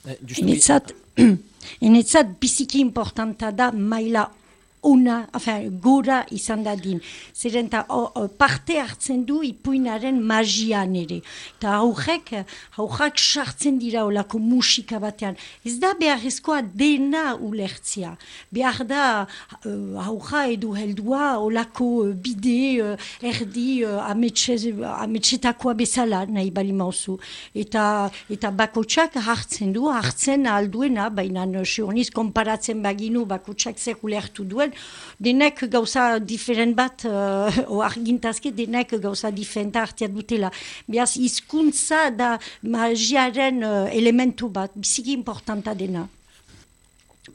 Enetzat, enetzat biziki importanta da maila gora izan dadin. Zeren parte hartzen du ipuinaren magian ere. Eta haurrak sartzen dira olako musika batean. Ez da beharrezkoa dena ulertzia. Behar da haurra edo heldua olako bide erdi ametsetakoa bezala nahi bali mauzu. Eta bakotsak hartzen alduena, baina sioniz konparatzen baginu bakotsak zer ulertu duen, denek gauza diferent bat, argintazke denek gauza diferenta hartia dutela. Beaz, hizkuntza da magiaren elementu bat, biziki importanta dena.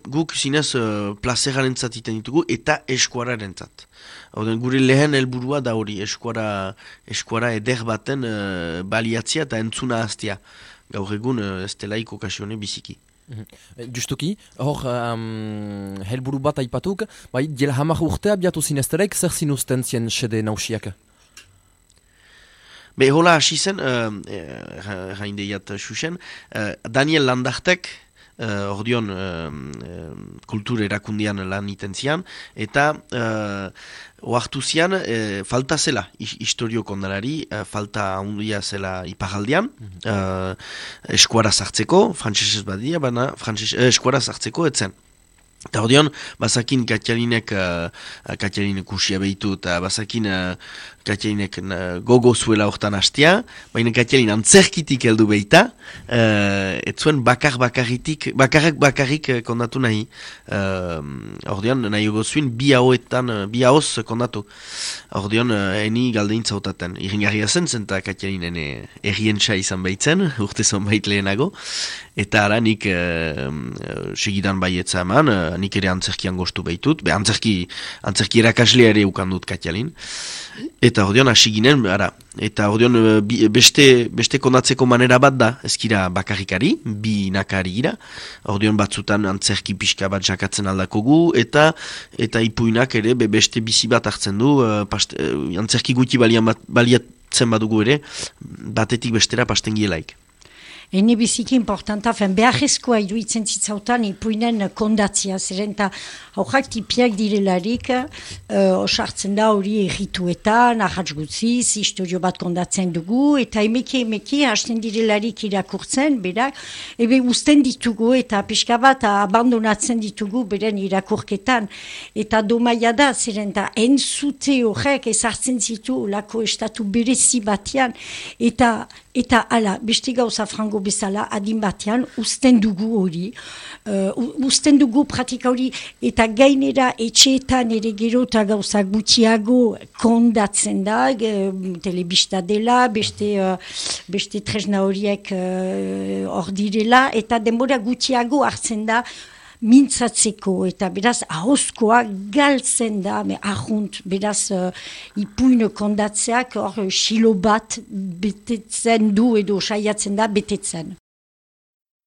Guk zinez plazeraren zatiten ditugu eta eskuararen zat. Gure lehen helburua da hori, eskuara eder baten baliatzia eta entzuna hastia. Gaur egun ez delaik okasione biziki. Justuki, hor helburu bat aipatuk, bai, diela 10 urte abiatu zinezterek, zer zinuzten zien sede nausiak? Hola hasi zen, jaindeiat xuxen, Daniel Landartek, ordion kultur erakundian lan iten zian, eta oartu zian, falta zela historio kondalari, falta handia zela iparaldian, eskuara sartzeko, frantsesez badia, baina eskuara sartzeko etzen. Eta ordion, bazakin Katialinek usia behitu, eta bazakin Katialinek gogo zuela hortan hastia, baina Katialin antzerkitik heldu behita, ez zuen bakarrik kondatu nahi. Ordion, nahi gozuin bi haoz kondatu. Ordion, eni galdein zautaten. Iringarria zen eta Katialinen errientsa izan behitzen, urte zonbait lehenago, eta ara nik segidan baietza eman, nik ere antzerkian gostu behitut, antzerki erakaslea ere ukandut Katialin, eta ordeon hasi ginen, eta ordeon beste kondatzeko manera bat da, ezkira bakarrikari, bi nakari gira, ordeon batzutan antzerki pixka bat jakatzen aldakogu, eta ipuinak ere beste bizi bat hartzen du, antzerki guti baliatzen badugu ere, batetik bestera pastengielaik. Ene biziki importanta, beharrezkoa iruditzen zitzautan ipuinen kondatzia, zeren eta haurrak tipiak direlarik, osartzen da hori errituetan, ahatz gutziz, historio bat kondatzen dugu, eta emeki hasten direlarik irakurtzen, berak, usten ditugu, eta pixka bat abandonatzen ditugu, beren irakurketan, eta domaia da, zeren eta entzute horrek ezartzen zitu lako estatu berezi batean, eta ala, beste gauza frango bezala, adin batean, usten dugu hori, usten dugu pratika hori, eta gainera etxeetan ere gero eta gauza gutxiago kondatzen da, telebista dela, beste tresna horiek hor direla, eta denbora gutxiago hartzen da, mintzatzeko, eta beraz ahozkoa galtzen da, ahunt, beraz ipuin kondatzeak hor xilo bat betetzen du edo saiatzen da betetzen.